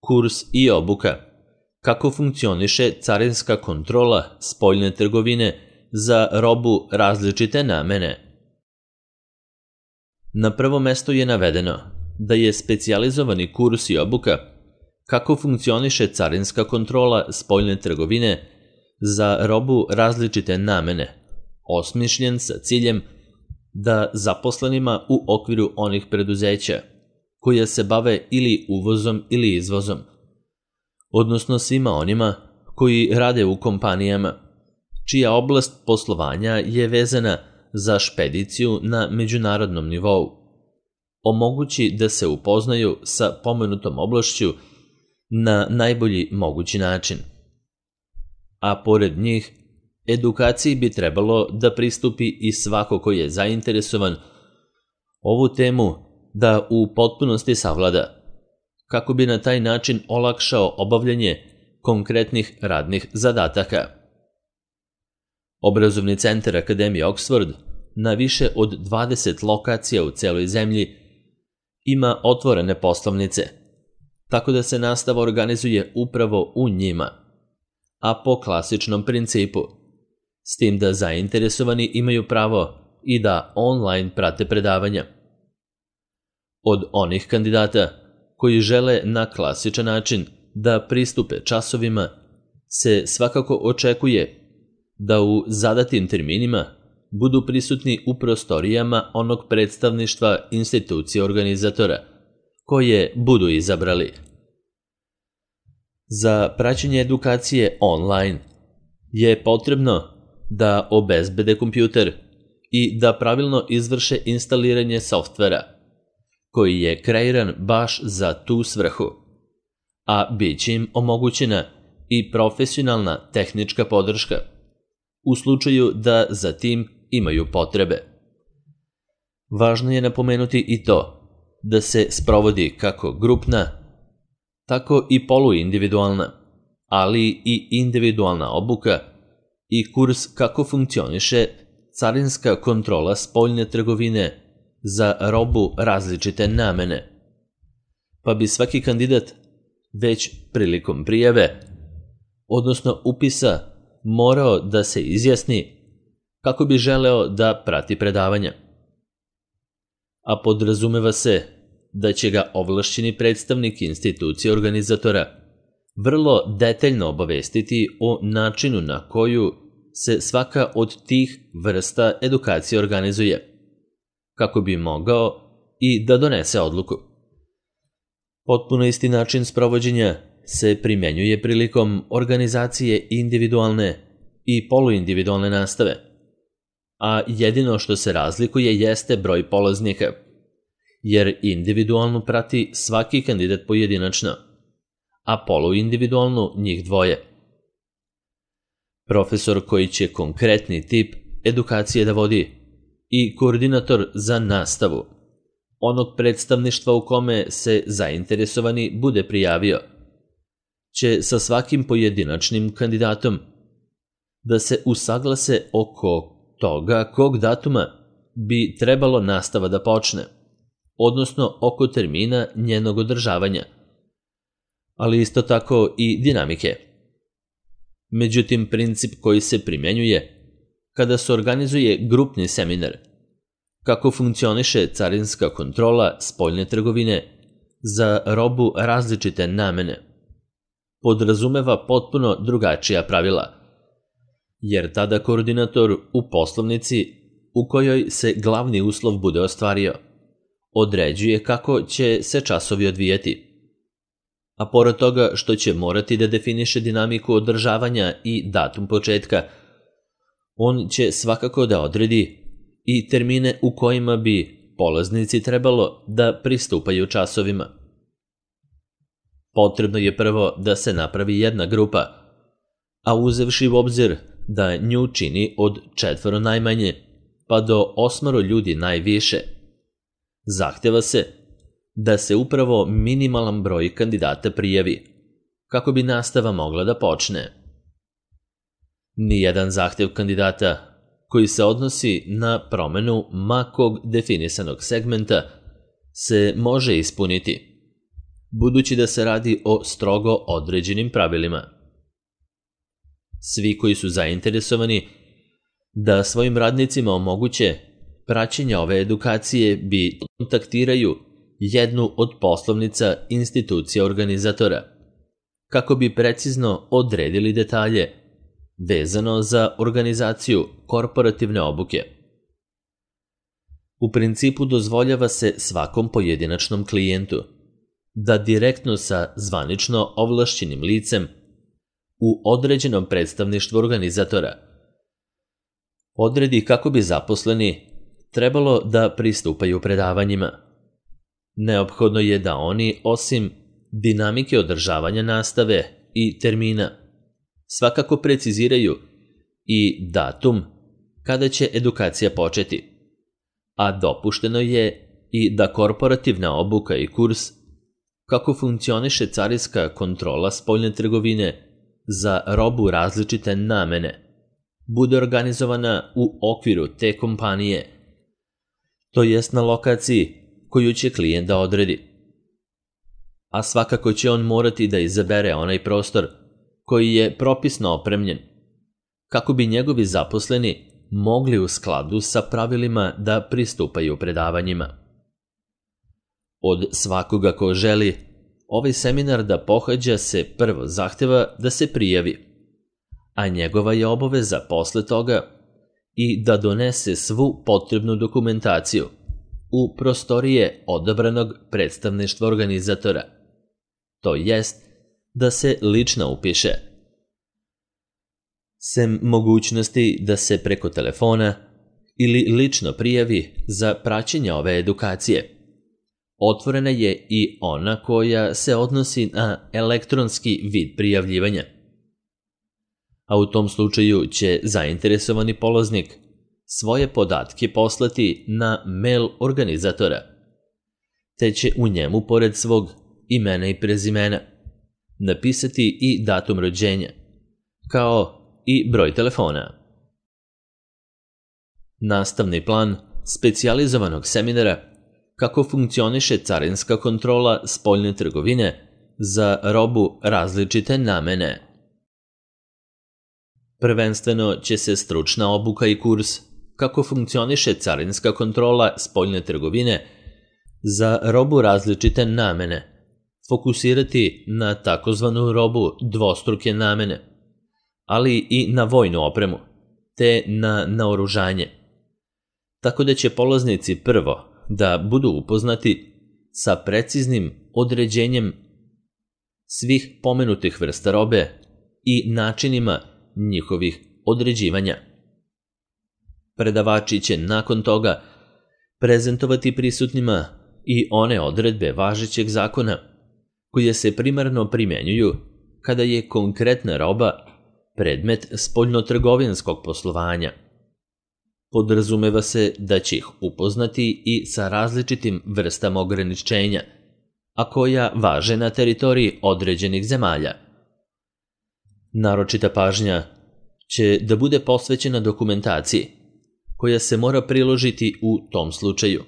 Kurs i obuka. Kako funkcioniše carinska kontrola spoljne trgovine za robu različite namene? Na prvom mestu je navedeno da je specijalizovani kurs i obuka kako funkcioniše carinska kontrola spoljne trgovine za robu različite namene, osmišljen sa ciljem da zaposlenima u okviru onih preduzeća koja se bave ili uvozom ili izvozom, odnosno svima onima koji rade u kompanijama, čija oblast poslovanja je vezana za špediciju na međunarodnom nivou, omogući da se upoznaju sa pomenutom oblašću na najbolji mogući način. A pored njih, edukaciji bi trebalo da pristupi i svako ko je zainteresovan ovu temu da u potpunosti savlada, kako bi na taj način olakšao obavljanje konkretnih radnih zadataka. Obrazovni centar Akademije Oxford na više od 20 lokacija u celoj zemlji ima otvorene poslovnice, tako da se nastava organizuje upravo u njima, a po klasičnom principu, s tim da zainteresovani imaju pravo i da online prate predavanja. Od onih kandidata koji žele na klasičan način da pristupe časovima se svakako očekuje da u zadatim terminima budu prisutni u prostorijama onog predstavništva institucije organizatora koje budu izabrali. Za praćenje edukacije online je potrebno da obezbede kompjuter i da pravilno izvrše instaliranje softvera, koji je kreiran baš za tu svrhu, a bit će im omogućena i profesionalna tehnička podrška u slučaju da za tim imaju potrebe. Važno je napomenuti i to da se sprovodi kako grupna, tako i poluindividualna, ali i individualna obuka i kurs kako funkcioniše carinska kontrola spoljne trgovine za robu različite namene. Pa bi svaki kandidat već prilikom prijave, odnosno upisa, morao da se izjasni kako bi želeo da prati predavanja. A podrazumeva se da će ga ovlašćeni predstavnik institucije organizatora vrlo detaljno obavestiti o načinu na koju se svaka od tih vrsta edukacije organizuje, kako bi mogao i da donese odluku. Potpuno isti način sprovođenja se primenjuje prilikom organizacije individualne i poluindividualne nastave, a jedino što se razlikuje jeste broj polaznika, jer individualnu prati svaki kandidat pojedinačno, a poluindividualnu njih dvoje. Profesor koji će konkretni tip edukacije da vodi i koordinator za nastavu onog predstavništva u kome se zainteresovani bude prijavio će sa svakim pojedinačnim kandidatom da se usaglase oko toga kog datuma bi trebalo nastava da počne, odnosno oko termina njenog održavanja, ali isto tako i dinamike. Međutim, princip koji se primenjuje kada se organizuje grupni seminar, kako funkcioniše carinska kontrola spoljne trgovine za robu različite namene, podrazumeva potpuno drugačija pravila, jer tada koordinator u poslovnici u kojoj se glavni uslov bude ostvario, određuje kako će se časovi odvijati. A pored toga što će morati da definiše dinamiku održavanja i datum početka, on će svakako da odredi i termine u kojima bi polaznici trebalo da pristupaju časovima. Potrebno je prvo da se napravi jedna grupa, a uzevši u obzir da nju čini od 4 najmanje pa do 8 ljudi najviše, zahteva se da se upravo minimalan broj kandidata prijavi, kako bi nastava mogla da počne. Nijedan zahtev kandidata koji se odnosi na promenu makog definisanog segmenta se može ispuniti, budući da se radi o strogo određenim pravilima. Svi koji su zainteresovani da svojim radnicima omoguće praćenje ove edukacije bi kontaktiraju jednu od poslovnica institucija organizatora, kako bi precizno odredili detalje vezano za organizaciju korporativne obuke. U principu dozvoljava se svakom pojedinačnom klijentu da direktno sa zvanično ovlašćenim licem u određenom predstavništvu organizatora odredi kako bi zaposleni trebalo da pristupaju predavanjima. Neophodno je da oni, osim dinamike održavanja nastave i termina, svakako preciziraju i datum kada će edukacija početi, a dopušteno je i da korporativna obuka i kurs kako funkcioniše carinska kontrola spoljne trgovine za robu različite namene bude organizovana u okviru te kompanije, to jest na lokaciji koju će klijent da odredi. A svakako će on morati da izabere onaj prostor koji je propisno opremljen, kako bi njegovi zaposleni mogli u skladu sa pravilima da pristupaju predavanjima. Od svakoga ko želi ovaj seminar da pohađa se prvo zahteva da se prijavi, a njegova je obaveza posle toga i da donese svu potrebnu dokumentaciju u prostorije odabranog predstavništva organizatora, to jest da se lično upiše. Sem mogućnosti da se preko telefona ili lično prijavi za praćenje ove edukacije, otvorena je i ona koja se odnosi na elektronski vid prijavljivanja. A u tom slučaju će zainteresovani polaznik svoje podatke poslati na mail organizatora, te će u njemu pored svog imena i prezimena napisati i datum rođenja, kao i broj telefona. Nastavni plan specijalizovanog seminara kako funkcioniše carinska kontrola spoljne trgovine za robu različite namene. Prvenstveno će se stručna obuka i kurs kako funkcioniše carinska kontrola spoljne trgovine za robu različite namene fokusirati na takozvanu robu dvostruke namene, ali i na vojnu opremu, te na naoružanje. Tako da će polaznici prvo da budu upoznati sa preciznim određenjem svih pomenutih vrsta robe i načinima njihovih određivanja. Predavači će nakon toga prezentovati prisutnima i one odredbe važećeg zakona koje se primarno primenjuju kada je konkretna roba predmet spoljnotrgovinskog poslovanja. Podrazumeva se da će ih upoznati i sa različitim vrstama ograničenja, a koja važe na teritoriji određenih zemalja. Naročita pažnja će da bude posvećena dokumentaciji, koja se mora priložiti u tom slučaju,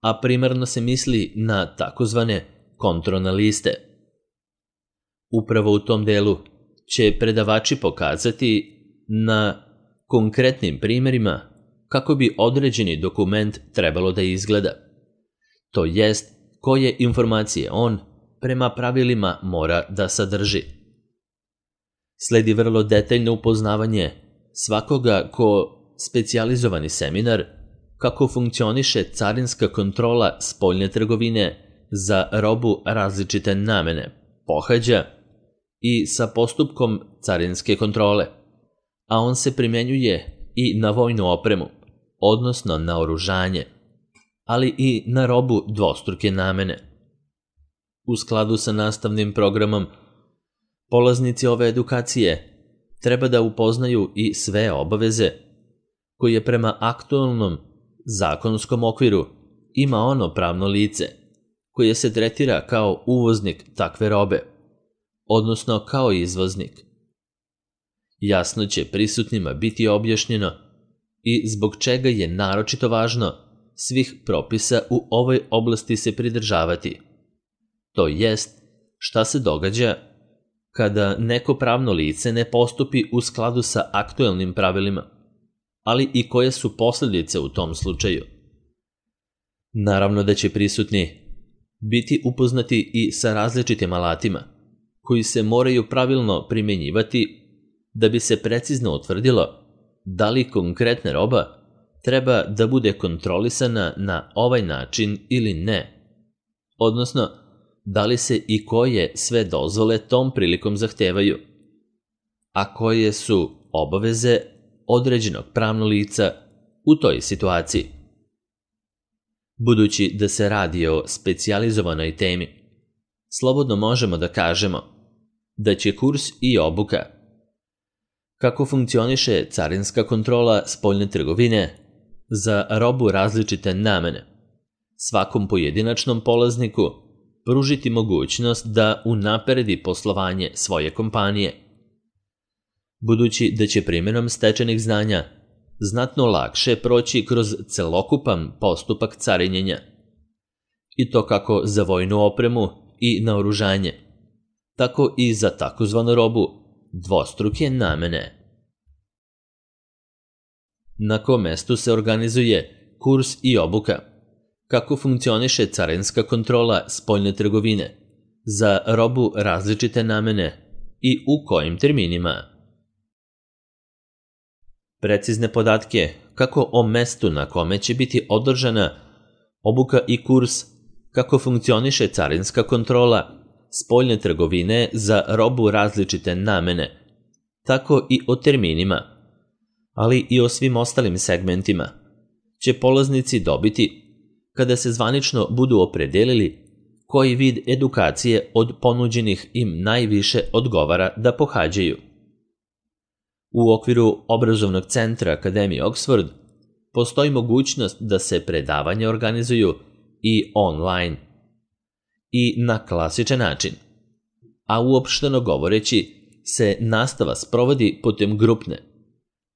a primarno se misli na takozvane kontrolne liste. Upravo u tom delu će predavači pokazati na konkretnim primjerima kako bi određeni dokument trebalo da izgleda, to jest koje informacije on prema pravilima mora da sadrži. Sledi vrlo detaljno upoznavanje svakoga ko specijalizovani seminar kako funkcioniše carinska kontrola spoljne trgovine za robu različite namene pohađa i sa postupkom carinske kontrole, a on se primenjuje i na vojnu opremu, odnosno na oružanje, ali i na robu dvostruke namene. U skladu sa nastavnim programom, polaznici ove edukacije treba da upoznaju i sve obaveze koje prema aktualnom zakonskom okviru ima ono pravno lice koje se tretira kao uvoznik takve robe, odnosno kao izvoznik. Jasno će prisutnima biti objašnjeno i zbog čega je naročito važno svih propisa u ovoj oblasti se pridržavati, to jest šta se događa kada neko pravno lice ne postupi u skladu sa aktuelnim pravilima, ali i koje su posljedice u tom slučaju. Naravno da će prisutni biti upoznati i sa različitim alatima, koji se moraju pravilno primjenjivati da bi se precizno utvrdilo da li konkretna roba treba da bude kontrolisana na ovaj način ili ne, odnosno da li se i koje sve dozvole tom prilikom zahtevaju, a koje su obaveze određenog pravnog lica u toj situaciji. Budući da se radi o specijalizovanoj temi, slobodno možemo da kažemo da će kurs i obuka kako funkcioniše carinska kontrola spoljne trgovine za robu različite namene svakom pojedinačnom polazniku pružiti mogućnost da unapredi poslovanje svoje kompanije, budući da će primjenom stečenih znanja znatno lakše proći kroz celokupan postupak carinjenja, i to kako za vojnu opremu i naoružanje, tako i za takozvanu robu dvostruke namene. Na kom mestu se organizuje kurs i obuka, kako funkcioniše carinska kontrola spoljne trgovine za robu različite namene i u kojim terminima. Precizne podatke kako o mestu na kome će biti održana obuka i kurs, kako funkcioniše carinska kontrola spoljne trgovine za robu različite namene, tako i o terminima, ali i o svim ostalim segmentima, će polaznici dobiti kada se zvanično budu opredelili koji vid edukacije od ponuđenih im najviše odgovara da pohađaju. U okviru obrazovnog centra Akademije Oxford postoji mogućnost da se predavanja organizuju i online i na klasičan način, a uopšteno govoreći se nastava sprovodi putem grupne,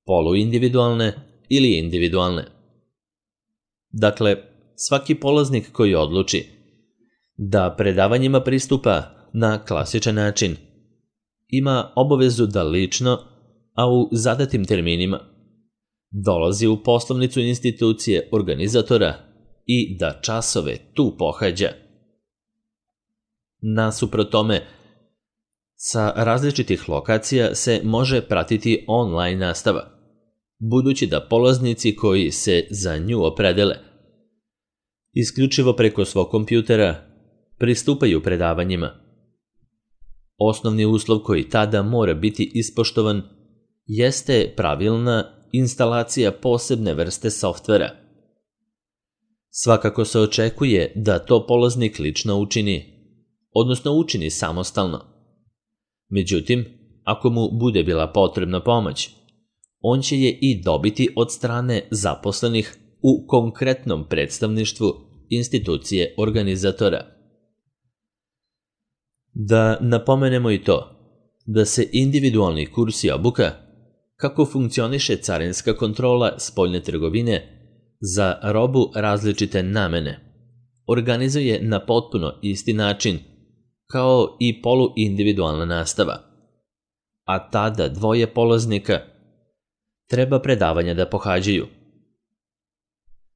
poluindividualne ili individualne. Dakle, svaki polaznik koji odluči da predavanjima pristupa na klasičan način ima obavezu da lično, a u zadatim terminima, dolazi u poslovnicu institucije organizatora i da časove tu pohađa. Nasuprot tome, sa različitih lokacija se može pratiti online nastava, budući da polaznici koji se za nju opredele isključivo preko svog kompjutera pristupaju predavanjima. Osnovni uslov koji tada mora biti ispoštovan jeste pravilna instalacija posebne vrste softvera. Svakako se očekuje da to polaznik lično učini, odnosno učini samostalno. Međutim, ako mu bude bila potrebna pomoć, on će je i dobiti od strane zaposlenih u konkretnom predstavništvu institucije organizatora. Da napomenemo i to, da se individualni kurs i obuka, kako funkcioniše carinska kontrola spoljne trgovine za robu različite namene, organizuje na potpuno isti način kao i poluindividualna nastava, a tada dvoje polaznika treba predavanja da pohađaju.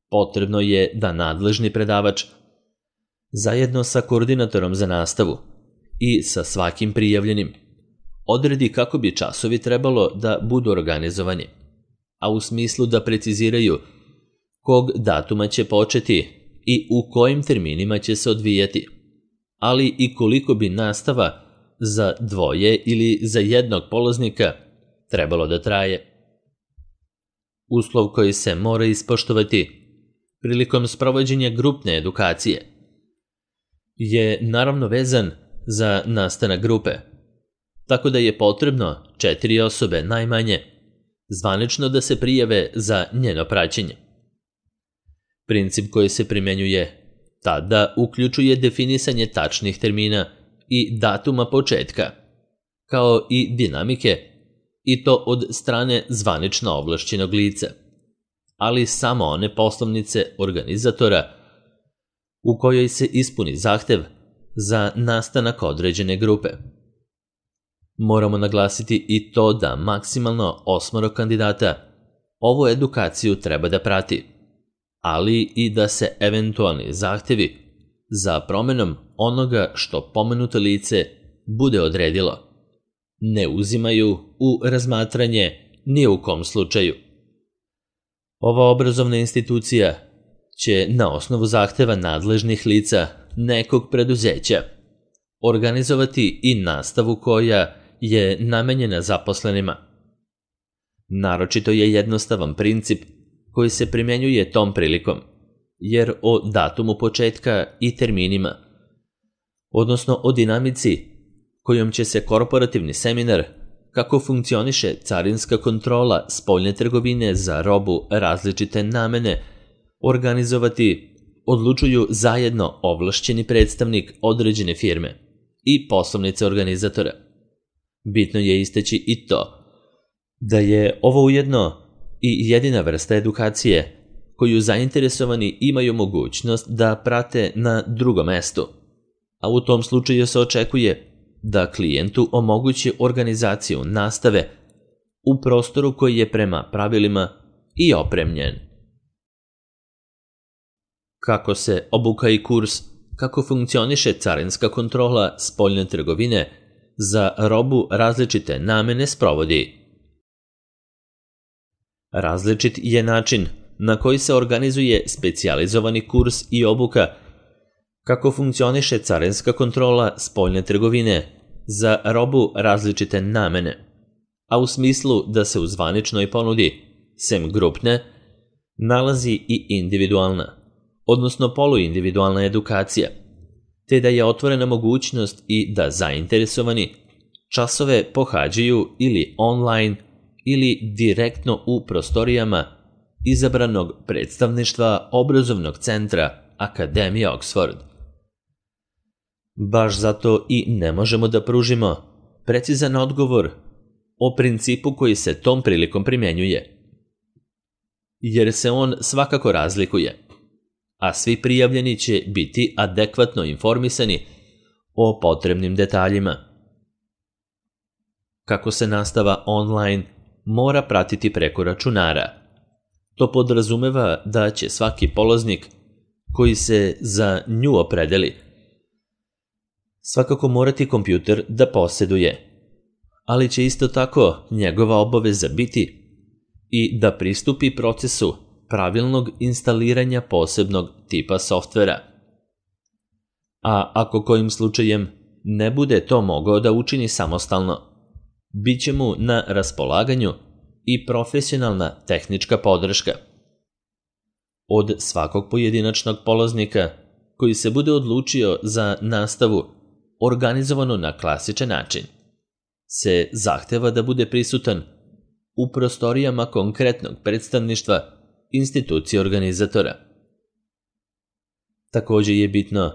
Potrebno je da nadležni predavač zajedno sa koordinatorom za nastavu i sa svakim prijavljenim odredi kako bi časovi trebalo da budu organizovani, a u smislu da preciziraju kog datuma će početi i u kojim terminima će se odvijati, ali i koliko bi nastava za dvoje ili za jednog polaznika trebalo da traje. Uslov koji se mora ispoštovati prilikom sprovođenja grupne edukacije je naravno vezan za nastanak grupe, tako da je potrebno 4 osobe najmanje zvanično da se prijave za njeno praćenje. Princip koji se primjenjuje tada uključuje definisanje tačnih termina i datuma početka, kao i dinamike, i to od strane zvanično ovlašćenog lica, ali samo one poslovnice organizatora u kojoj se ispuni zahtev za nastanak određene grupe. Moramo naglasiti i to da maksimalno 8 kandidata ovu edukaciju treba da prati, ali i da se eventualni zahtevi za promenom onoga što pomenuto lice bude odredilo ne uzimaju u razmatranje ni u kom slučaju. Ova obrazovna institucija će na osnovu zahteva nadležnih lica nekog preduzeća organizovati i nastavu koja je namenjena zaposlenima. Naročito je jednostavan princip koji se primjenjuje tom prilikom, jer o datumu početka i terminima, odnosno o dinamici kojom će se korporativni seminar kako funkcioniše carinska kontrola spoljne trgovine za robu različite namene organizovati, odlučuju zajedno ovlašćeni predstavnik određene firme i poslovnice organizatora. Bitno je istaći i to da je ovo ujedno i jedina vrsta edukacije koju zainteresovani imaju mogućnost da prate na drugom mestu, a u tom slučaju se očekuje da klijentu omogući organizaciju nastave u prostoru koji je prema pravilima i opremljen. Kako se obuka i kurs kako funkcioniše carinska kontrola spoljne trgovine za robu različite namene sprovodi. Različit je način na koji se organizuje specijalizovani kurs i obuka kako funkcioniše carinska kontrola spoljne trgovine za robu različite namene, a u smislu da se u zvaničnoj ponudi, sem grupne, nalazi i individualna, odnosno poluindividualna edukacija, te da je otvorena mogućnost i da zainteresovani časove pohađaju ili online ili direktno u prostorijama izabranog predstavništva obrazovnog centra Akademije Oxford. Baš zato i ne možemo da pružimo precizan odgovor o principu koji se tom prilikom primjenjuje, jer se on svakako razlikuje, a svi prijavljeni će biti adekvatno informisani o potrebnim detaljima. Kako se nastava online mora pratiti preko računara, to podrazumeva da će svaki polaznik koji se za nju opredeli svakako morati kompjuter da posjeduje, ali će isto tako njegova obaveza biti i da pristupi procesu pravilnog instaliranja posebnog tipa softvera. A ako kojim slučajem ne bude to mogao da učini samostalno, bit će mu na raspolaganju i profesionalna tehnička podrška. Od svakog pojedinačnog polaznika koji se bude odlučio za nastavu organizovano na klasičan način, se zahteva da bude prisutan u prostorijama konkretnog predstavništva institucije organizatora. Također je bitno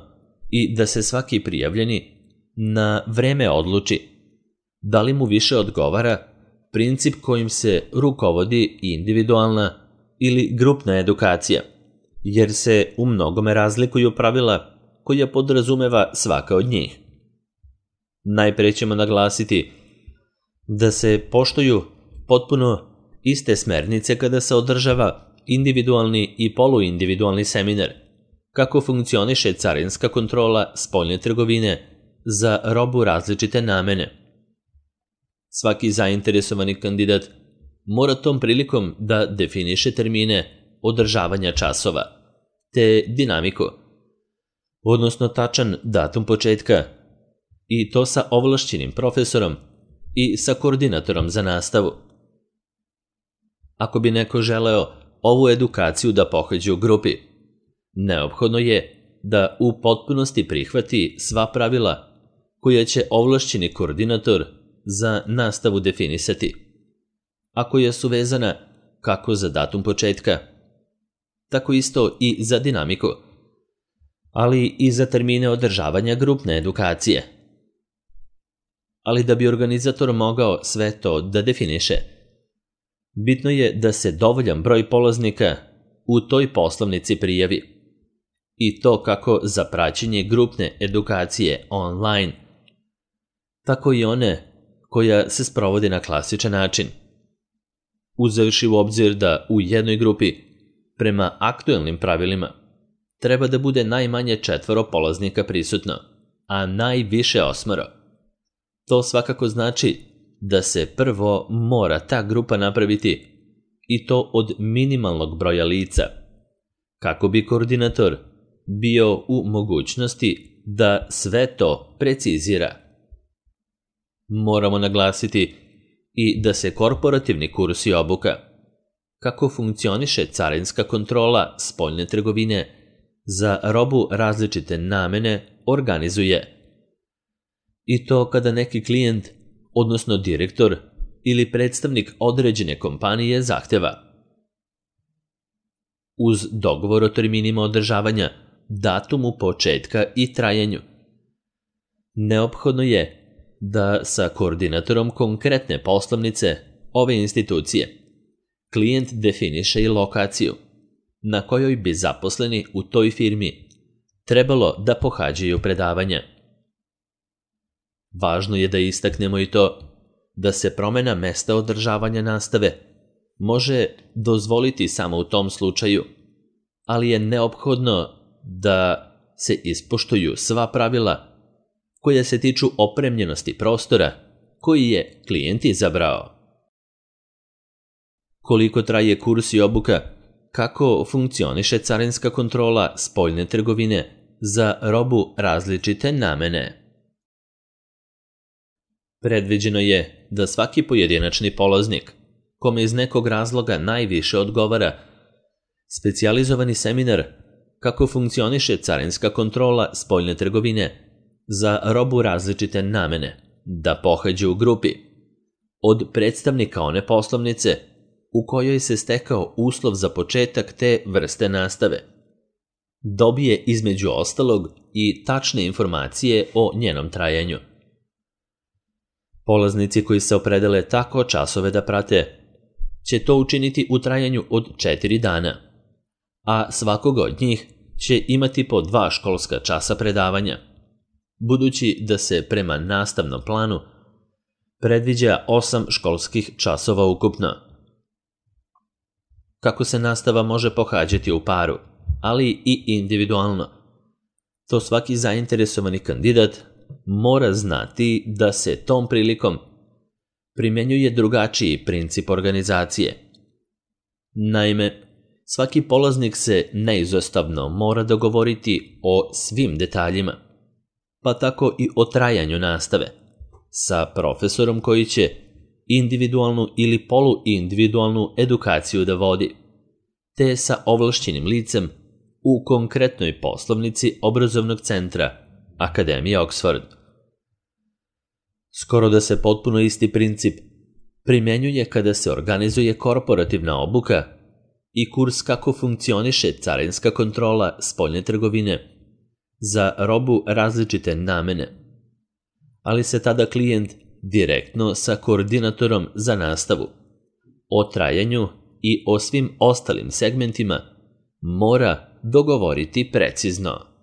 i da se svaki prijavljeni na vreme odluči da li mu više odgovara princip kojim se rukovodi individualna ili grupna edukacija, jer se u mnogome razlikuju pravila koja podrazumeva svaka od njih. Najpre ćemo naglasiti da se poštuju potpuno iste smernice kada se održava individualni i poluindividualni seminar, kako funkcioniše carinska kontrola spoljne trgovine za robu različite namene. Svaki zainteresovani kandidat mora tom prilikom da definiše termine održavanja časova, te dinamiku, odnosno tačan datum početka, i to sa ovlašćenim profesorom i sa koordinatorom za nastavu. Ako bi neko želeo ovu edukaciju da pohađa u grupi, neophodno je da u potpunosti prihvati sva pravila koja će ovlašćeni koordinator za nastavu definisati, a koja su vezana kako za datum početka, tako isto i za dinamiku, ali i za termine održavanja grupne edukacije. Ali da bi organizator mogao sve to da definiše, bitno je da se dovoljan broj polaznika u toj poslovnici prijavi. i to kako za praćenje grupne edukacije online, tako i one koja se sprovodi na klasičan način. Uzevši u obzir da u jednoj grupi, prema aktuelnim pravilima, treba da bude najmanje 4 polaznika prisutno, a najviše 8. To svakako znači da se prvo mora ta grupa napraviti, i to od minimalnog broja lica, kako bi koordinator bio u mogućnosti da sve to precizira. Moramo naglasiti i da se korporativni kurs i obuka, kako funkcioniše carinska kontrola spoljne trgovine za robu različite namene, organizuje. I to kada neki klijent, odnosno direktor ili predstavnik određene kompanije zahteva. Uz dogovor o terminima održavanja, datumu početka i trajanju. Neophodno je da sa koordinatorom konkretne poslovnice ove institucije klijent definiše i lokaciju na kojoj bi zaposleni u toj firmi trebalo da pohađaju predavanja. Važno je da istaknemo i to da se promena mesta održavanja nastave može dozvoliti samo u tom slučaju, ali je neophodno da se ispoštuju sva pravila koja se tiču opremljenosti prostora koji je klijent izabrao. Koliko traje kurs i obuka, kako funkcioniše carinska kontrola spoljne trgovine za robu različite namene. Predviđeno je da svaki pojedinačni polaznik, kome iz nekog razloga najviše odgovara, specijalizovani seminar kako funkcioniše carinska kontrola spoljne trgovine za robu različite namene, da pohađe u grupi od predstavnika one poslovnice u kojoj se stekao uslov za početak te vrste nastave. Dobije između ostalog i tačne informacije o njenom trajanju. Polaznici koji se opredele tako časove da prate će to učiniti u trajanju od 4 dana, a svakog od njih će imati po 2 školska časa predavanja, budući da se prema nastavnom planu predviđa 8 školskih časova ukupno. Kako se nastava može pohađati u paru, ali i individualno, to svaki zainteresovani kandidat mora znati da se tom prilikom primenjuje drugačiji princip organizacije. Naime, svaki polaznik se neizostavno mora dogovoriti o svim detaljima, pa tako i o trajanju nastave, sa profesorom koji će individualnu ili poluindividualnu edukaciju da vodi, te sa ovlašćenim licem u konkretnoj poslovnici obrazovnog centra Akademije Oxford. Skoro da se potpuno isti princip primenjuje kada se organizuje korporativna obuka i kurs kako funkcioniše carinska kontrola spoljne trgovine za robu različite namene, ali se tada klijent direktno sa koordinatorom za nastavu o trajanju i o svim ostalim segmentima mora dogovoriti precizno.